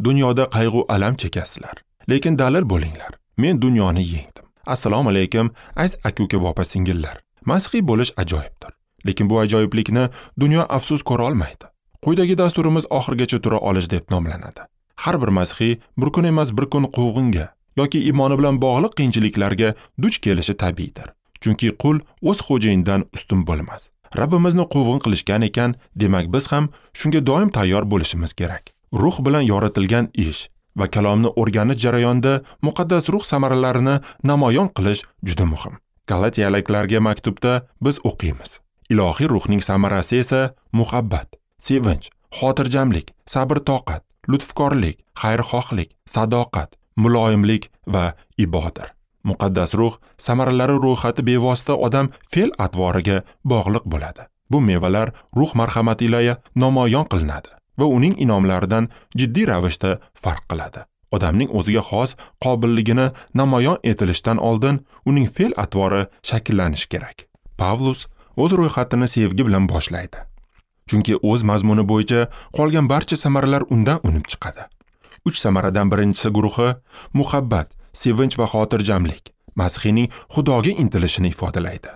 Dunyoda qayg'u alam chekasizlar, lekin dalil bo'linglar. Men dunyoni yengdim. Assalomu alaykum, aziz aka-uka va opa-singillar. Masihiy bo'lish ajoyibdir. Lekin bu ajoyiblikni dunyo afsus ko'ra olmaydi. Quyidagi dasturimiz oxirigacha tura olish deb nomlanadi. Har bir masihiy bir kun emas bir kun quvg'inga yoki iymoni bilan bog'liq qiyinchiliklarga duch kelishi tabiiydir. Chunki qul o'z xo'jayinidan ustun bo'lmas. Rabbimizni quvg'in qilishgan ekan, demak biz ham shunga doim tayyor bo'lishimiz kerak. Ruh bilan yoritilgan ish va kalomni o'rganish jarayonida muqaddas ruh samaralarini namoyon qilish juda muhim. Galatiyaliklarga maktubda biz o'qiymiz. Ilohiy ruhning samarasi esa muhabbat, sevinch, xotirjamlik, sabr-toqat, lutfkorlik, xayrixohlik, sadoqat, muloyimlik va ibodir. Muqaddas ruh samaralari ro'yxati bevosita odam fe'l-atvoriga bog'liq bo'ladi. Bu mevalar ruh marhamati ila namoyon qilinadi va uning inomlaridan jiddiy ravishda farq qiladi. Odamning o'ziga xos qobilligini namoyon etilishdan oldin uning fe'l-atvori shakllanishi kerak. Pavlus o'z ro'yxatini sevgi bilan boshlaydi. Chunki o'z mazmuni bo'yicha qolgan barcha samaralar undan unib chiqadi. 3 samaradan birinchisi guruhi muhabbat, sevinch va xotirjamlik Masihning Xudoga intilishini ifodalaydi.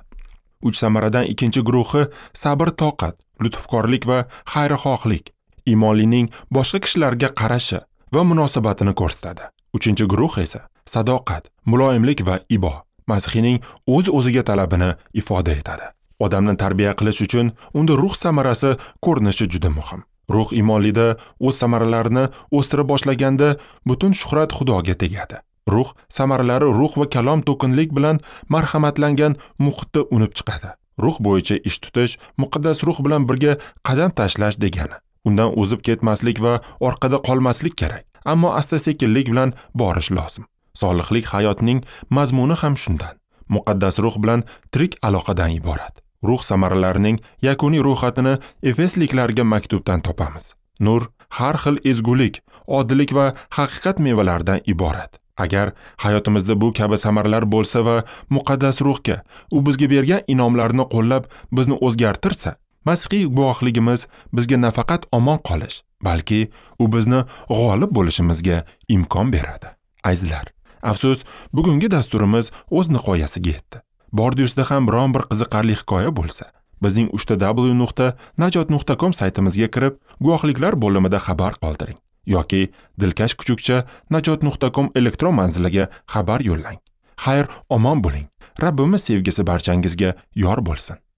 3 samaradan ikkinchi guruhi sabr-toqat, lutfkorlik va xayrixohlik iymonlining boshqa kishilarga qarashi va munosabatini ko'rsatadi. 3-guruh esa sadoqat, muloyimlik va ibo Masihning o'z-o'ziga talabini ifoda etadi. Odamni tarbiya qilish uchun unda ruh samarasi ko'rinishi juda muhim. Ruh iymonlida o'z samaralarini o'stira boshlaganda butun shuhrat Xudoga tegadi. Ruh samaralari ruh va kalom to'kinlik bilan marhamatlangan muhitda unib chiqadi. Ruh bo'yicha ish tutish muqaddas ruh bilan birga qadam tashlash degani. Undan o'zib ketmaslik va orqada qolmaslik kerak, ammo asta-sekinlik bilan borish lozim. Solihlik hayotning mazmuni ham shundan. Muqaddas ruh bilan tirik aloqadan iborat. Ruh samaralarining yakuniy ro'yxatini Efesliklarga maktubdan topamiz. Nur har xil ezgulik, odillik va haqiqat mevalaridan iborat. Agar hayotimizda bu kabi samaralar bo'lsa va muqaddas ruhga u bizga bergan inomlarni qo'llab bizni o'zgartirsa, masihiy guvohligimiz bizga nafaqat omon qolish, balki u bizni g'olib bo'lishimizga imkon beradi. Azizlar, afsus, bugungi dasturimiz o'z nihoyasiga yetdi. Bordiusda ham biron bir qiziqarli hikoya bo'lsa, bizning www.najot.com saytimizga kirib, guvohliklar bo'limida xabar qoldiring yoki dilkash@najot.com elektron manziliga xabar yo'llang. Xayr, omon bo'ling. Rabbimiz sevgisi barchangizga yor bo'lsin.